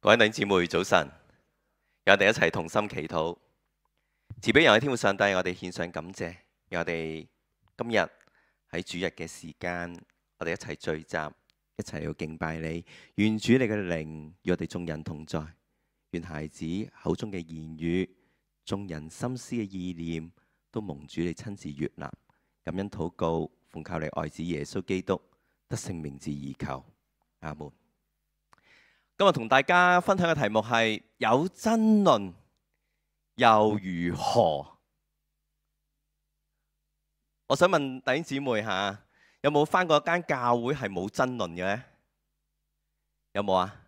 各位弟兄姊妹早晨，讓我哋一齊同心祈禱。慈悲人嘅天父上帝，我哋獻上感謝，讓我哋今日喺主日嘅時間，我哋一齊聚集，一齊去敬拜你。願主你嘅靈與我哋眾人同在，願孩子口中嘅言語、眾人心思嘅意念，都蒙主你親自悅納。感恩禱告，奉靠你愛子耶穌基督得勝名字而求，阿門。今日同大家分享嘅題目係有爭論又如何？我想問弟兄姊妹下，有冇返過一間教會係冇爭論嘅呢？有冇啊？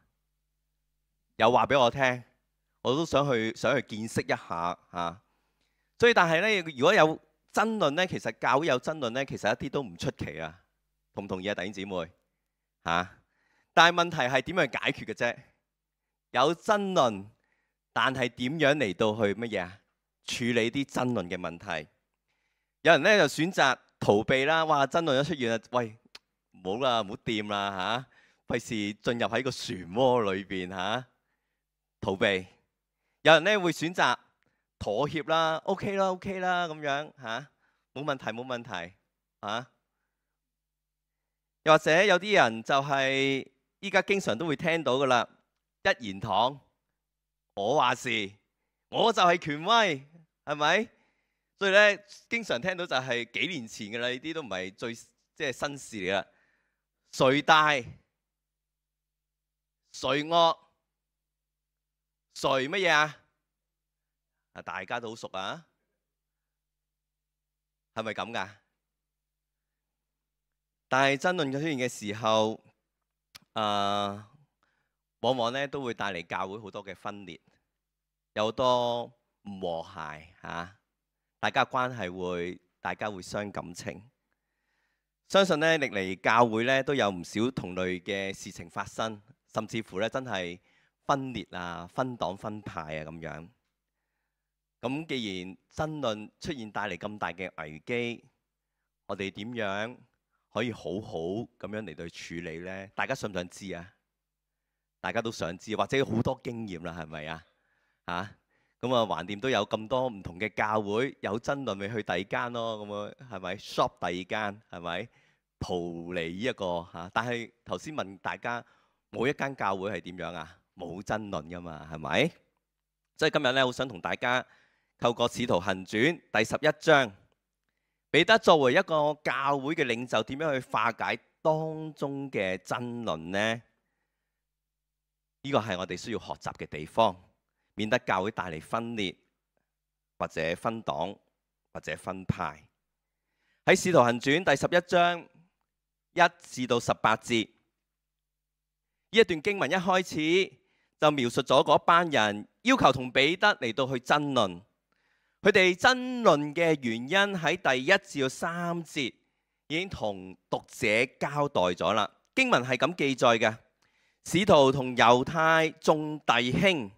有話俾我聽，我都想去見識一下嚇。所以但係呢，如果有爭論呢，其實教會有爭論呢，其實一啲都唔出奇啊。同唔同意啊，弟兄姊妹嚇？但係問題係點樣解決嘅啫？有爭論，但係點樣嚟到去乜嘢啊？處理啲爭論嘅問題。有人咧就選擇逃避啦。哇！爭論一出現啊，喂，唔好啦，唔好掂啦嚇，費事進入喺個漩渦裏邊嚇，逃避。有人咧會選擇妥協啦，OK 啦，OK 啦咁樣嚇，冇問題冇問題嚇。又或者有啲人就係依家經常都會聽到噶啦，一言堂，我話事，我就係權威，係咪？所以咧，經常聽到就係幾年前嘅啦，呢啲都唔係最新事嚟啦。誰大誰惡誰乜嘢啊？大家都好熟啊，係咪咁噶？但係爭論嘅出現嘅時候，往往咧都會帶嚟教會好多嘅分裂，有好多唔和諧嚇，大家關係大家會傷感情。相信咧歷嚟教會咧都有唔少同類嘅事情發生，甚至乎咧真係分裂啊、分黨分派啊咁樣。咁既然爭論出現帶嚟咁大嘅危機，我哋點樣可以好好咁樣嚟到處理呢？大家想唔想知啊？大家都想知，或者好多經驗啦，係咪啊？咁啊，橫掂都有咁多唔同嘅教會有爭論，咪去第二間咯。咁啊，係咪 shop 第二間？係咪逃離呢一個嚇？但係頭先問大家，冇一間教會係點樣啊？冇爭論噶嘛，係咪？所以今日咧，好想同大家透過《使徒行傳》第11章。彼得作為一個教會嘅領袖，點樣去化解當中嘅爭論呢？呢個係我哋需要學習嘅地方，免得教會帶嚟分裂，或者分黨，或者分派。喺《使徒行傳》第11章1至到18節，呢一段經文一開始就描述咗嗰班人要求同彼得嚟到去爭論。佢哋爭論嘅原因喺第1至到3節已經同讀者交代咗啦。經文係咁記載嘅：使徒同猶太眾弟兄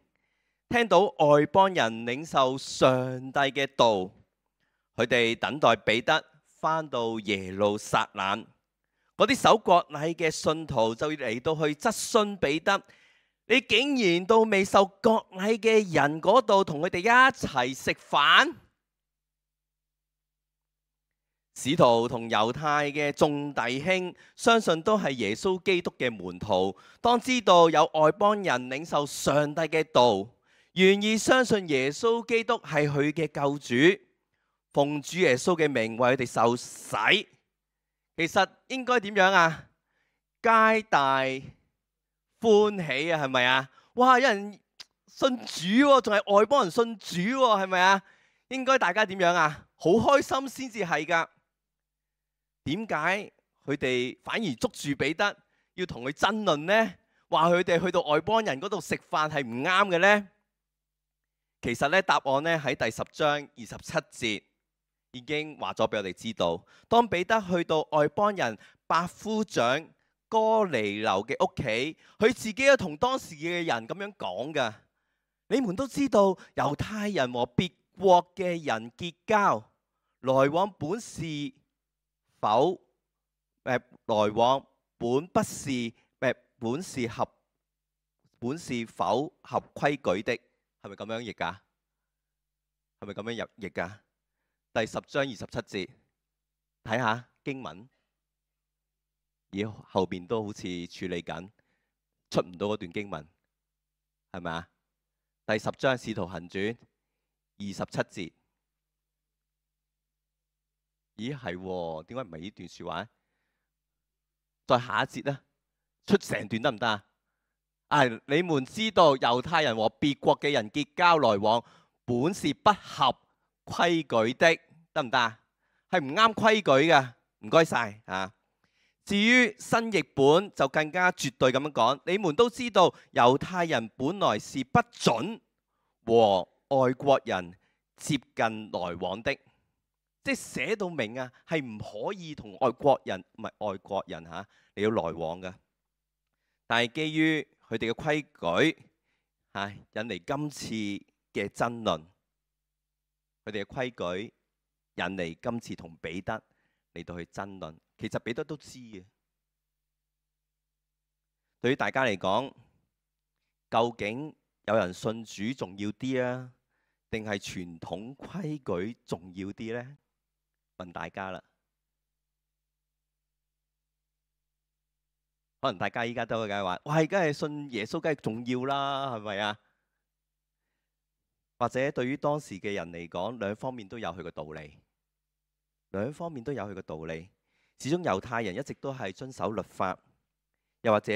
聽到外邦人領受上帝嘅道，佢哋等待彼得返到耶路撒冷。嗰啲守國禮嘅信徒就嚟到去質詢彼得：你竟然到未受國禮嘅人嗰度同佢哋一齊食飯？使徒同猶太嘅眾弟兄相信都係耶穌基督嘅門徒，當知道有外邦人領受上帝嘅道，願意相信耶穌基督係佢嘅救主，奉主耶穌嘅名為佢哋受洗，其實應該點樣啊？皆大歡喜啊，係咪啊？哇！有人信主喎，仲係外邦人信主喎，係咪啊？應該大家點樣啊？好開心先至係㗎。點解佢哋反而捉住彼得要同佢爭論呢？話佢哋去到外邦人嗰度食飯係唔啱嘅呢？其實咧，答案咧喺第10章27節已經話咗俾我哋知道。當彼得去到外邦人百夫長哥尼流嘅屋企，佢自己都同當時嘅人咁樣講㗎：你們都知道猶太人和別國嘅人結交，來往本是否來往本不是本是合本是否合規矩的，係咪咁樣譯㗎？係咪咁樣入譯㗎？第10章27節，睇下經文，而後邊都好似處理緊，出唔到嗰段經文，係咪啊？第10章《使徒行傳》27節，咦係喎？點解唔係呢段説話？再下一節咧，出成段得唔得啊？你們知道猶太人和別國嘅人結交來往，本是不合規矩的，得唔得啊？係唔啱規矩嘅，唔該晒啊！至於新譯本就更加絕對咁樣講，你們都知道猶太人本來是不准和外國人接近來往的，即係寫到明啊，係唔可以同外國人唔係外國人嚇你要來往嘅。但係基於佢哋嘅規矩引嚟今次嘅爭論，佢哋嘅規矩引嚟今次同彼得嚟到去爭論。其實彼得都知嘅。對於大家嚟講，究竟有人信主重要啲啊，定係傳統規矩重要啲呢？問大家啦。可能大家依家都會梗係話，喂，梗係信耶穌，梗係重要啦，係咪啊？或者對於當時嘅人嚟講，兩方面都有佢嘅道理，兩方面都有佢嘅道理。始終猶太人一直都係遵守律法，又或者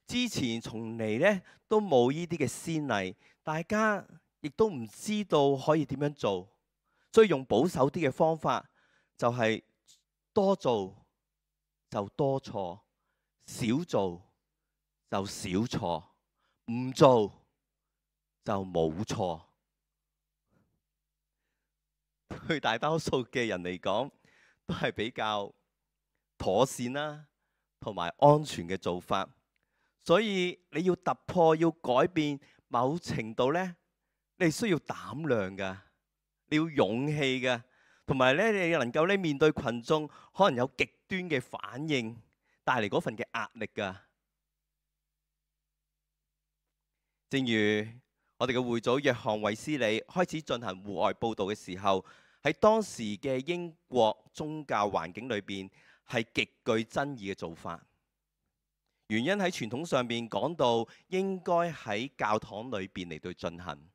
之前從嚟呢都冇呢啲嘅先例，大家亦都唔知道可以點樣做，所以用保守啲嘅方法，就係多做就多錯，少做就少錯，唔做就冇錯。對大多數嘅人嚟講，都係比較妥善啦，同埋安全嘅做法。所以你要突破、要改變，某程度呢，你需要膽量噶，你要勇氣噶，同埋咧，你能夠咧面對群眾，可能有極端嘅反應，帶嚟嗰份嘅壓力噶。正如我哋嘅會組約翰衛斯理開始進行戶外佈道嘅時候，喺當時嘅英國宗教環境裏邊係極具爭議嘅做法。原因喺傳統上面講到應該喺教堂裏邊嚟到進行，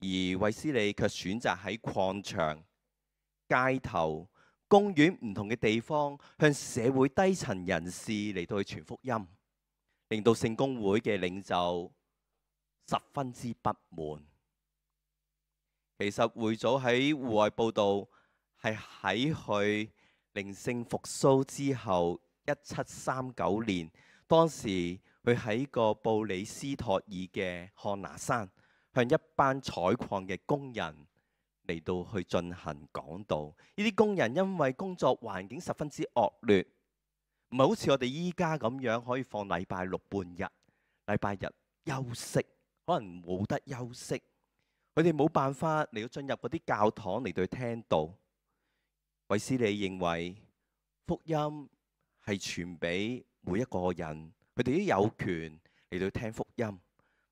而衛斯理卻選擇喺礦場、街頭、公園唔同嘅地方向社會低層人士嚟到去傳福音，令到聖公會嘅領袖十分之不滿。其實會組喺戶外佈道係喺佢靈性復甦之後1739年，當時佢喺個布里斯托爾嘅漢拿山，向一班採礦嘅工人嚟到去進行講道。呢啲工人因為工作環境十分之惡劣，唔係好似我哋依家咁樣可以放禮拜六半日、禮拜日休息，可能冇得休息。佢哋冇辦法嚟到進入嗰啲教堂嚟到聽道。衛斯理認為福音係傳俾每一個人，佢哋都有權嚟到聽福音，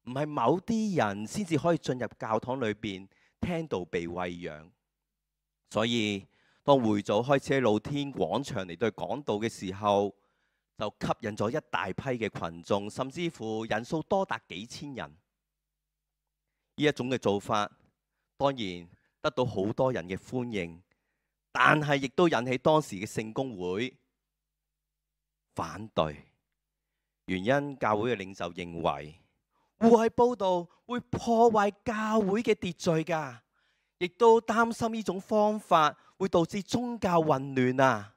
唔係某啲人先至可以進入教堂裏邊聽道被餵養。所以當會組開始喺露天廣場嚟到講道嘅時候，就吸引咗一大批嘅群眾，甚至乎人數多達幾千人。呢一種嘅做法，當然得到好多人嘅歡迎，但係亦都引起當時嘅聖公會反對。原因教會嘅領袖認為戶外佈道會破壞教會嘅秩序㗎，亦都擔心呢種方法會導致宗教混亂啊。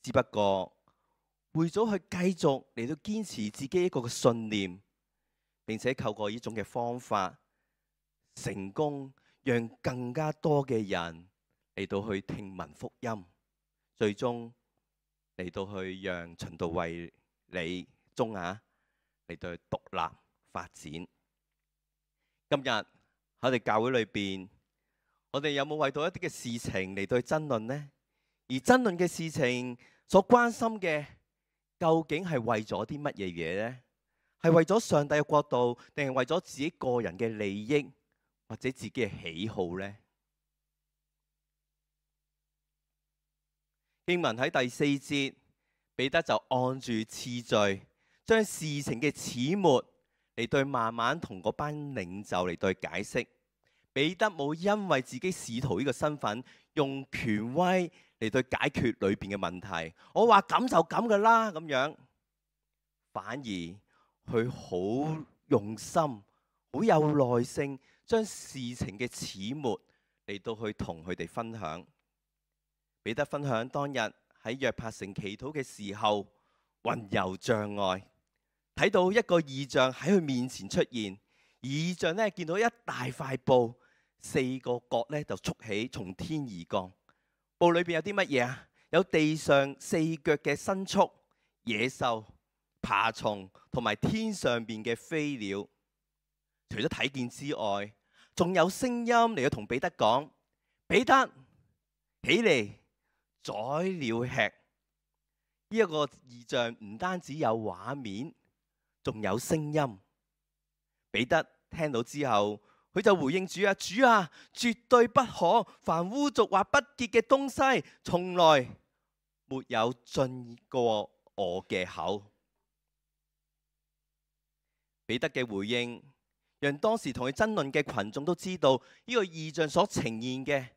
只不過會組去繼續嚟到堅持自己一個嘅信念，並且透過呢種嘅方法，成功讓更加多嘅人嚟到去聽聞福音，最終嚟到去讓循道衛理宗嚟到去獨立發展。今日喺我哋教會裏邊，我哋有冇為到一啲嘅事情嚟到去爭論呢？而爭論嘅事情所關心嘅，究竟係為咗啲乜嘢嘢呢？係為咗上帝嘅國度，定係為咗自己個人嘅利益或者自己嘅喜好呢？經文喺第4節，彼得就按住次序，將事情嘅始末嚟對慢慢同嗰班領袖嚟對解釋。彼得冇因為自己使徒呢個身份，用權威嚟對解決裏邊嘅問題。我話咁就咁噶啦咁樣，反而佢好用心、好有耐性，將事情嘅始末嚟到去同佢哋分享。彼得分享當日喺約帕城祈禱嘅時候，魂遊象外，睇到一個異象喺佢面前出現。異象呢，見到一大塊布，4個角呢就束起，從天而降。布裏邊有啲乜嘢啊？有地上4腳嘅牲畜、野獸、爬蟲同埋天上邊嘅飛鳥。除咗睇見之外，仲有聲音嚟到同彼得講：彼得，起嚟！宰了吃。呢一個異象唔單止有畫面，仲有聲音。彼得聽到之後，佢就回應主啊：主啊，絕對不可！凡污濁或不潔嘅東西，從來沒有進過我嘅口。彼得嘅回應，讓當時同佢爭論嘅群眾都知道，呢個異象所呈現嘅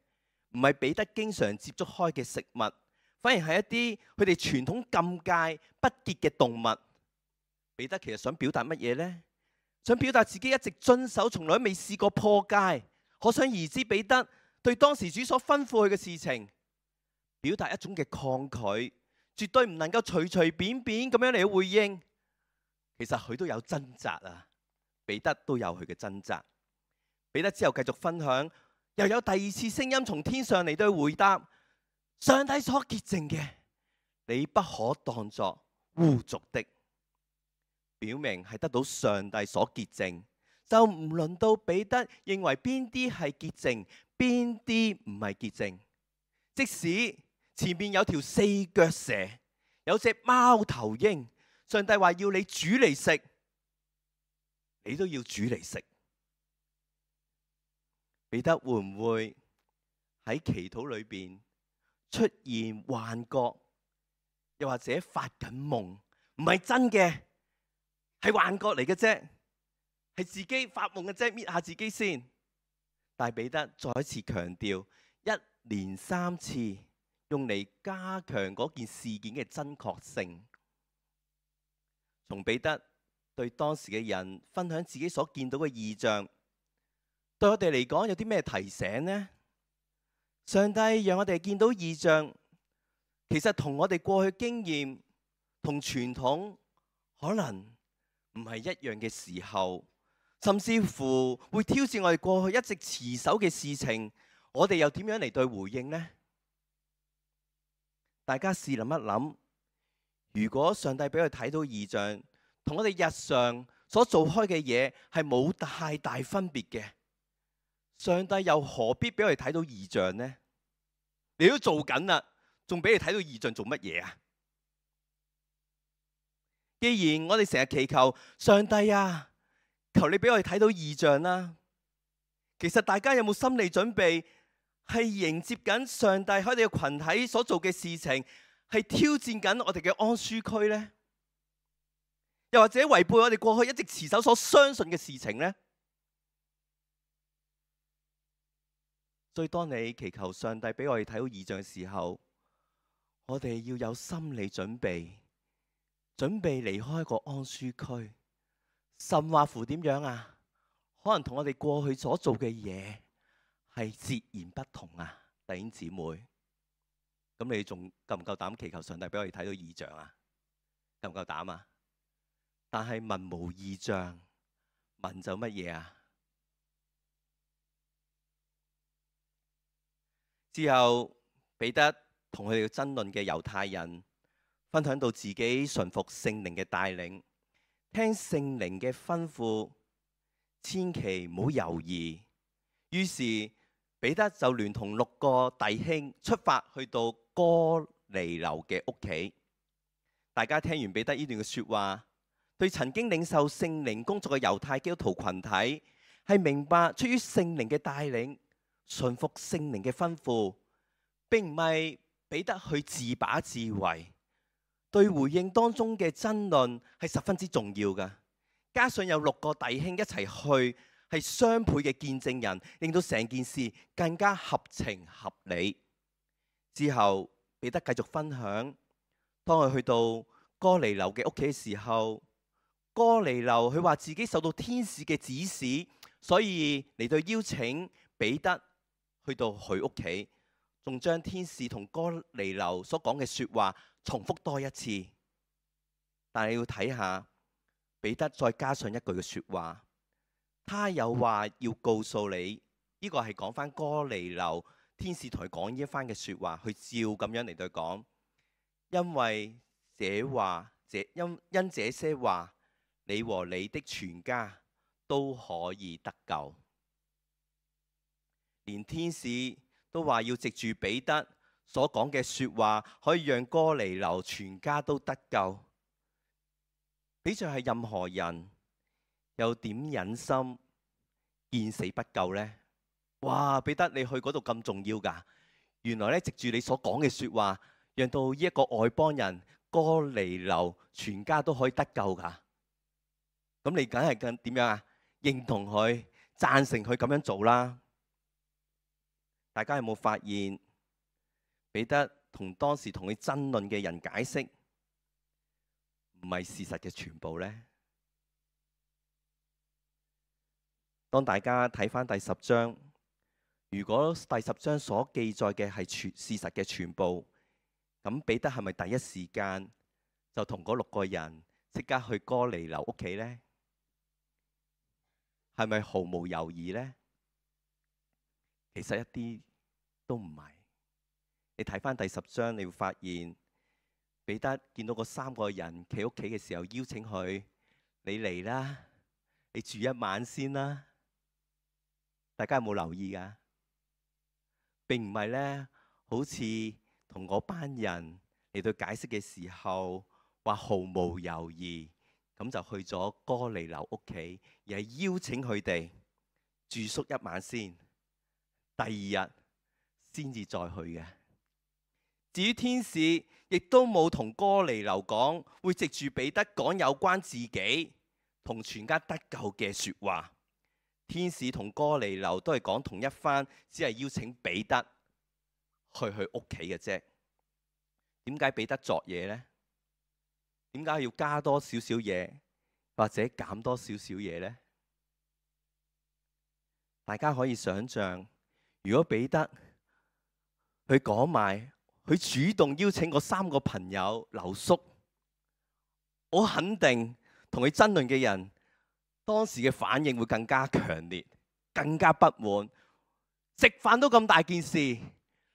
唔係彼得經常接觸開嘅食物，反而係一啲佢哋傳統禁戒不潔嘅動物。彼得其實想表達乜嘢呢？想表達自己一直遵守，從來未試過破戒。可想而知，彼得對當時主所吩咐佢嘅事情，表達一種嘅抗拒，絕對唔能夠隨隨便便咁樣嚟回應。其實佢都有掙扎啊，彼得都有佢嘅掙扎。彼得之後繼續分享。又有第2次聲音從天上嚟到回答：上帝所潔淨嘅，你不可當作污濁的。表明係得到上帝所潔淨，就唔輪到彼得認為邊啲係潔淨，邊啲唔係潔淨。即使前面有條4腳蛇，有隻貓頭鷹，上帝話要你煮嚟食，你都要煮嚟食。彼得會唔會喺祈禱裏邊出現幻覺，又或者發緊夢？唔係真嘅，係幻覺嚟嘅啫，係自己發夢嘅啫，搣下自己先。但係彼得再一次強調，1連3次用嚟加強嗰件事件嘅真確性。從彼得對當時嘅人分享自己所見到嘅異象，對我哋嚟講有啲咩提醒呢？上帝讓我哋見到異象，其實同我哋過去經驗同傳統可能唔係一樣嘅時候，甚至乎會挑戰我哋過去一直持守嘅事情，我哋又點樣嚟對回應呢？大家試諗一諗，如果上帝俾佢睇到異象，同我哋日常所做開嘅嘢係冇太大分別嘅，上帝又何必俾我哋睇到異象呢？你都做緊啦，仲俾你睇到異象做乜嘢啊？既然我哋成日祈求上帝啊，求你俾我哋睇到異象啦，其實大家有冇心理準備，係迎接緊上帝喺我哋嘅群體所做嘅事情，係挑戰緊我哋嘅安舒區呢？又或者違背我哋過去一直持守所相信嘅事情呢？所以當你祈求上帝俾我哋睇到異象嘅時候，我哋要有心理準備，準備離開一個安舒區，甚或乎點樣啊？可能同我哋過去所做嘅嘢係截然不同啊！弟兄姊妹，咁你仲夠唔夠膽祈求上帝俾我哋睇到異象啊？夠唔夠膽啊？但係文無異象，文就乜嘢啊？之後彼得同佢哋爭論嘅猶太人分享到自己順服聖靈嘅帶領，聽聖靈嘅吩咐，千祈唔好猶豫。於是彼得就聯同6個弟兄出發去到哥尼流嘅屋企。大家聽完彼得呢段嘅説話，對曾經領受聖靈工作嘅猶太基督徒群體係明白出於聖靈嘅帶領，順服聖靈嘅吩咐，並唔係彼得去自把自為。對回應當中嘅爭論係十分之重要㗎。加上有6個弟兄一齊去，係雙倍嘅見證人，令到成件事更加合情合理。之後彼得繼續分享，當佢去到哥尼流嘅屋企嘅時候，哥尼流佢話自己受到天使嘅指示，所以嚟到邀請彼得去到佢屋企，仲將天使同哥尼流所講嘅説話重複多一次。但係你要睇下彼得再加上一句嘅説話，他有話要告訴你。呢個係講翻哥尼流天使同佢講呢一番嘅説話，佢照咁樣嚟對佢講，因為因這些話，你和你的全家都可以得救。連天使都話要藉住彼得所講嘅説話，可以讓哥尼流全家都得救。比著係任何人，又點忍心見死不救呢？哇！彼得你去嗰度咁重要㗎？原來咧，藉住你所講嘅説話，讓到呢一個外邦人哥尼流全家都可以得救㗎。咁你梗係點樣啊？認同佢，贊成佢咁樣做啦。大家有冇發現彼得同當時同佢爭論嘅人解釋唔係事實嘅全部呢？當大家睇返第10章，如果第10章所記載嘅係事實嘅全部，咁彼得係咪第一時間就同嗰6個人即刻去哥尼流屋企呢？係咪毫無猶豫呢？其實一啲都唔係。你睇返第10章，你會發現彼得見到嗰3個人企屋企嘅時候，邀請佢：你嚟啦，你住一晚先啦。大家有冇留意㗎？並唔係咧，好似同嗰班人嚟到解釋嘅時候，話毫無猶豫咁就去咗哥尼流屋企，而係邀請佢哋住宿一晚先，第二日先至再去嘅。至於天使，亦都冇同哥尼流講會藉住彼得講有關自己同全家得救嘅説話。天使同哥尼流都係講同一番，只係邀請彼得去佢屋企嘅啫。點解彼得作嘢呢？點解要加多少少嘢，或者減多少少嘢呢？大家可以想象，如果彼得佢講埋，佢主動邀請嗰3個朋友留宿，我肯定同佢爭論嘅人當時嘅反應會更加強烈，更加不滿。食飯都咁大件事，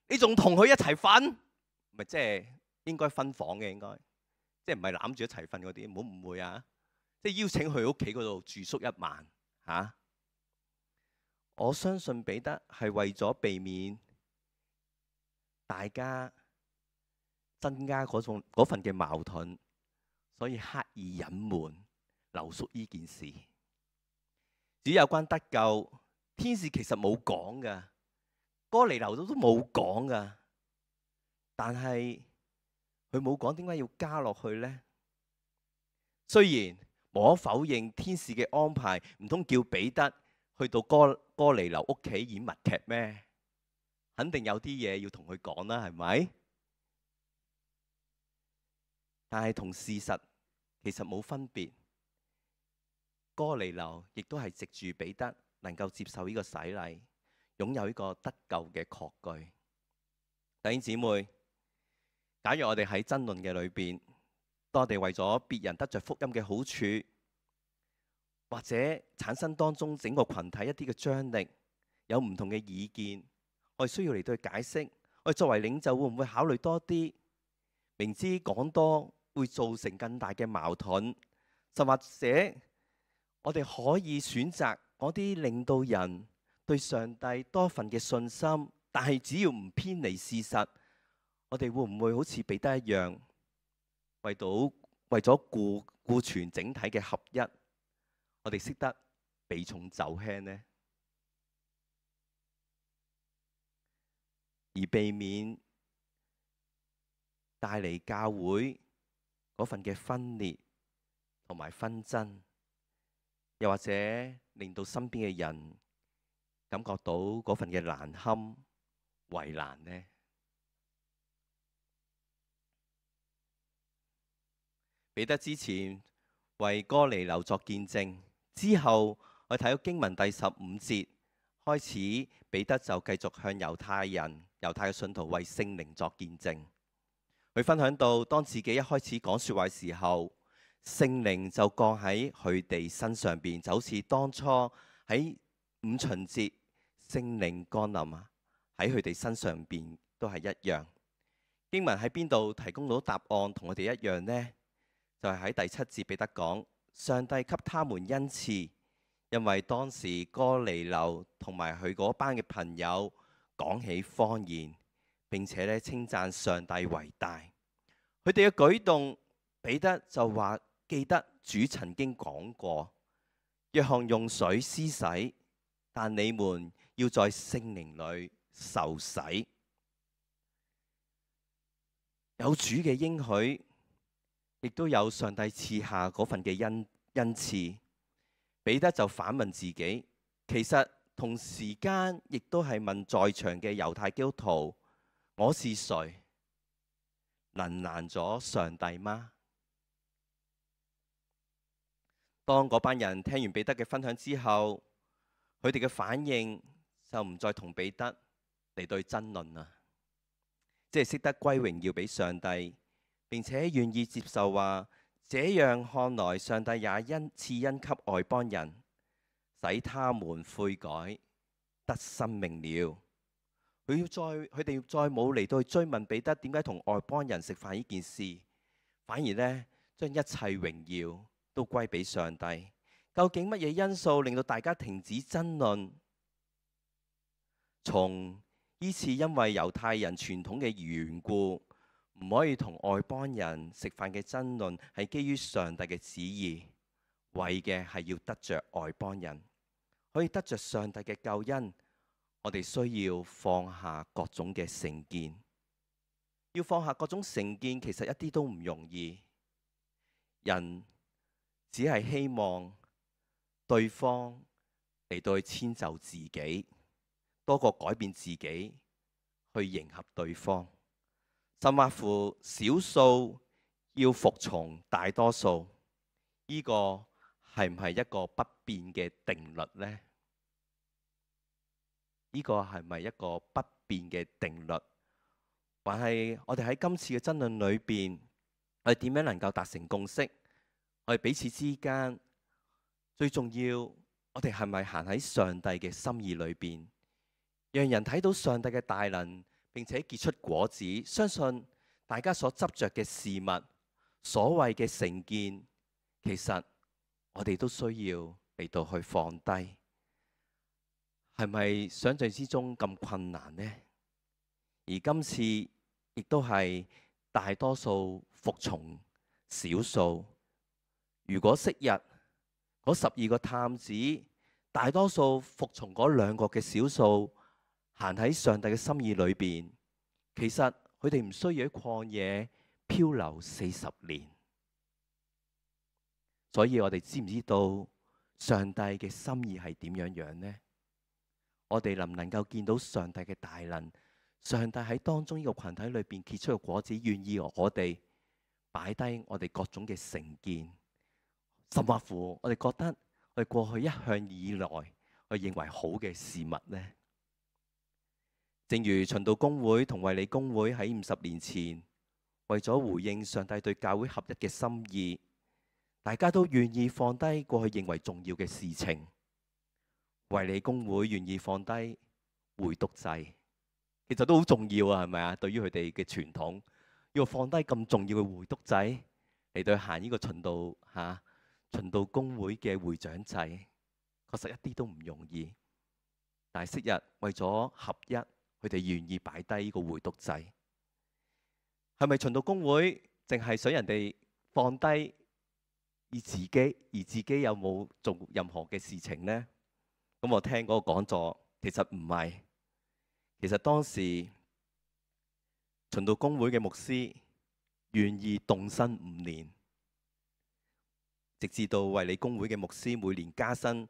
你仲同佢一齊瞓？咪即係應該分房嘅，應該即係唔係攬住一齊瞓嗰啲，唔好誤會啊！即係邀請去屋企嗰度住宿一晚嚇。我相信彼得係為咗避免大家增加嗰份嘅矛盾，所以刻意隱瞞留宿呢件事。至於有關得救，天使其實冇講噶，哥尼流都冇講噶，但係佢冇講，點解要加落去呢？雖然無可否認天使嘅安排，唔通叫彼得去到哥尼流屋企演默劇咩？肯定有啲嘢要同佢講啦，係咪？但係同事實其實冇分別。哥尼流亦都係藉住彼得能夠接受呢個洗禮，擁有呢個得救嘅確據。弟兄姊妹，假如我哋喺爭論嘅裏邊，當我哋為咗別人得着福音嘅好處，或者產生當中整個群體一啲嘅張力，有唔同嘅意見，我哋需要嚟到去解釋。我哋作為領袖會唔會考慮多啲？明知講多會造成更大嘅矛盾，甚或者我哋可以選擇嗰啲令到人對上帝多份嘅信心，但係只要唔偏離事實，我哋會唔會好似彼得一樣，為咗顧全整體嘅合一，我哋識得避重就輕呢？而避免帶嚟教會嗰份嘅分裂同埋紛爭，又或者令到身邊嘅人感覺到嗰份嘅難堪、為難呢？彼得之前為哥尼流作見證，之後我睇到經文第15節開始，彼得就繼續向猶太嘅信徒為聖靈作見證。佢分享到，當自己一開始講說話嘅時候，聖靈就降喺佢哋身上邊，就好似當初喺五旬節聖靈降臨喺佢哋身上邊都係一樣。經文喺邊度提供到答案同我哋一樣呢？就係喺第7節，彼得講上帝給他們恩賜，因為當時哥尼流同埋佢嗰班嘅朋友講起方言，並且咧稱讚上帝為大。佢哋嘅舉動，彼得就話記得主曾經講過，約翰用水施洗，但你們要在聖靈裏受洗。有主嘅應許，亦都有上帝賜下嗰份嘅恩賜。彼得就反問自己，其實同時間亦都係問在場嘅猶太基督徒，我是誰？能難咗上帝嗎？當嗰班人聽完彼得嘅分享之後，佢哋嘅反應就唔再同彼得嚟對爭論啦，即係識得歸榮耀俾上帝，並且願意接受話，這樣看來上帝也賜恩給外邦人，使他們悔改得生命了。佢哋再冇嚟到去追問彼得點解同外邦人食飯呢件事，反而呢將一切榮耀都歸俾上帝。究竟乜嘢因素令到大家停止爭論？從呢次因為猶太人傳統嘅緣故，唔可以同外邦人食飯嘅爭論，係基於上帝嘅旨意，為嘅係要得着外邦人，可以得着上帝嘅救恩。我哋需要放下各種嘅成見，要放下各種成見，其實一啲都唔容易。人只係希望對方嚟到去遷就自己，多過改變自己去迎合對方。甚或乎少數要服從大多數，呢個係唔係一個不變嘅定律呢？呢個係咪一個不變嘅定律？還係我哋喺今次嘅爭論裏邊，我哋點樣能夠達成共識？我哋彼此之間最重要，我哋係咪行喺上帝嘅心意裏邊，讓人睇到上帝嘅大能，並且結出果子？相信大家所執着嘅事物，所謂嘅成見，其實我哋都需要嚟到去放低。係咪想象之中咁困難呢？而今次亦都係大多數服從少數。如果昔日嗰12個探子，大多數服從嗰2個嘅少數，行喺上帝嘅心意裏邊，其實佢哋唔需要喺曠野漂流40年。所以我哋知唔知道上帝嘅心意係點樣樣呢？我哋能唔能夠見到上帝嘅大能？上帝喺當中呢個群體裏邊結出嘅果子，願意我哋擺低我哋各種嘅成見，甚或乎我哋覺得我哋過去一向以來我認為好嘅事物呢？正如循道公會同衛理公會喺50年前，為咗回應上帝對教會合一嘅心意，大家都願意放低過去認為重要嘅事情。衛理公會願意放低會督祭，其實都好重要啊，係咪啊？對於佢哋嘅傳統，要放低咁重要嘅會督祭嚟到行呢個循道公會嘅會長制，確實一啲都唔容易。但係昔日為咗合一，佢哋願意擺低呢個會督祭。係咪循道公會淨係想人哋放低而自己有冇做任何嘅事情呢？咁我聽嗰個講座，其實唔係。其實當時循道公會嘅牧師願意動身5年，直至到衛理公會嘅牧師每年加薪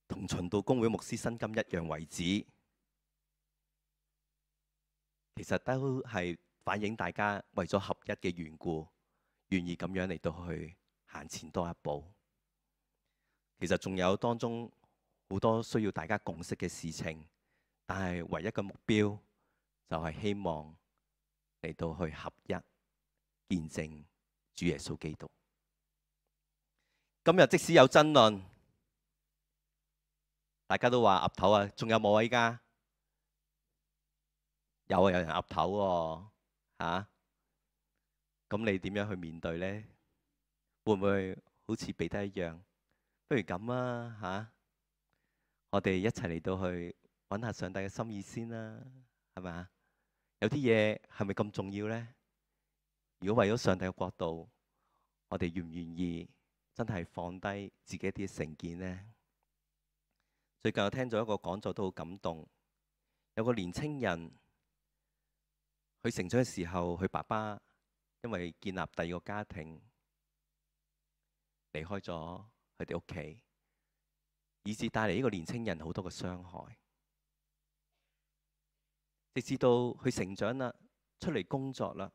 同循道公會牧師薪金一樣為止。其實都係反映大家為咗合一嘅緣故，願意咁樣嚟到去行前多一步。其實仲有當中好多需要大家共識嘅事情，但係唯一嘅目標就係希望嚟到去合一，見證主耶穌基督。今日即使有爭論，大家都話岌頭啊，仲有冇啊？依家有啊，有人岌頭喎，嚇。咁你點樣去面對呢？會唔會好似彼得一樣？不如咁啊，嚇！我哋一齊嚟到去揾下上帝嘅心意先啦，係咪啊？有啲嘢係咪咁重要呢？如果為咗上帝嘅國度，我哋願唔願意真係放低自己一啲成見呢？最近我聽咗一個講座都好感動，有個年青人，佢成長嘅時候，佢爸爸因為建立第二個家庭，離開咗佢哋屋企，以致帶嚟呢個年青人好多嘅傷害。直至到佢成長啦，出嚟工作啦，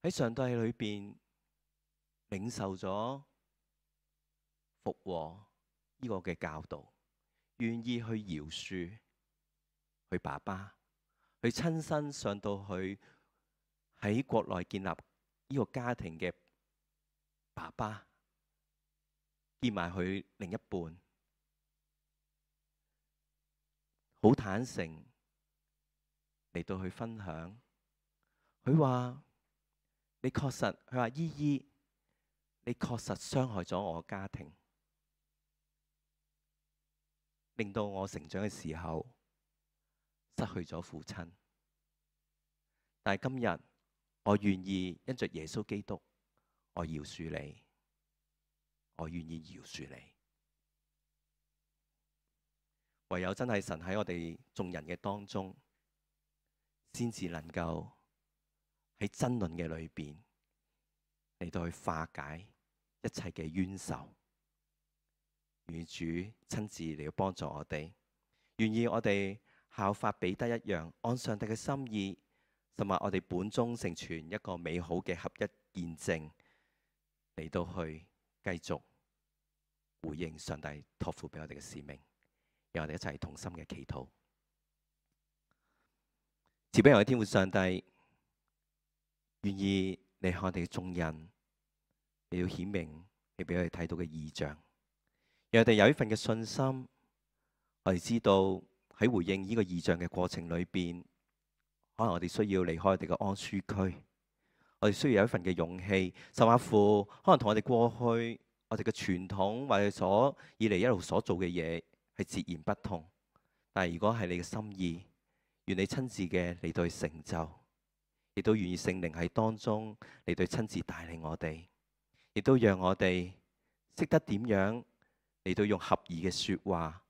喺上帝裏邊領受咗復和呢個嘅教導，願意去饒恕佢爸爸，去親身上到去喺國內建立呢個家庭嘅爸爸，見埋佢另一半，好坦誠嚟到去分享。佢話：你確實，佢話姨姨，你確實傷害咗我家庭，令到我成長嘅時候失去咗父親。但係今日我願意因着耶穌基督，我饒恕你，我願意饒恕你。唯有真係神喺我哋眾人嘅當中，先至能夠喺爭論嘅裏邊嚟到去化解一切嘅冤仇。願主親自嚟到幫助我哋，願意我哋效法彼得一樣，按上帝嘅心意，甚至我哋本中成全一個美好嘅合一見證，嚟到去繼續回應上帝託付俾我哋嘅使命。讓我哋一齊同心嘅祈禱。慈悲我哋天父上帝，願意你向我哋嘅眾人，你要顯明你俾我哋睇到嘅異象，讓我哋有一份嘅信心。我哋知道喺回應呢個異象嘅過程裏邊，可能我哋需要離開我哋嘅安舒區，我哋需要有一份嘅勇氣，甚至乎可能同我哋過去我哋嘅傳統或者所以嚟一路所做嘅嘢係截然不同。但係如果係你嘅心意，願你親自嘅嚟到去成就，亦都願意聖靈喺當中嚟到親自帶領我哋，亦都讓我哋識得點樣嚟到用合宜嘅說話，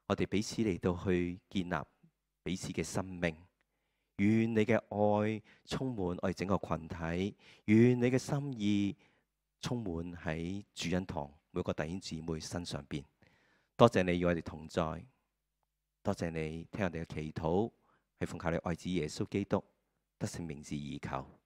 我哋彼此嚟到去建立彼此嘅生命。願你嘅愛充滿我哋整個群體，願你嘅心意充滿喺主恩堂每個弟兄姊妹身上邊。多謝你與我哋同在，多謝你聽我哋嘅祈禱，係奉靠你愛子耶穌基督得勝名字而求。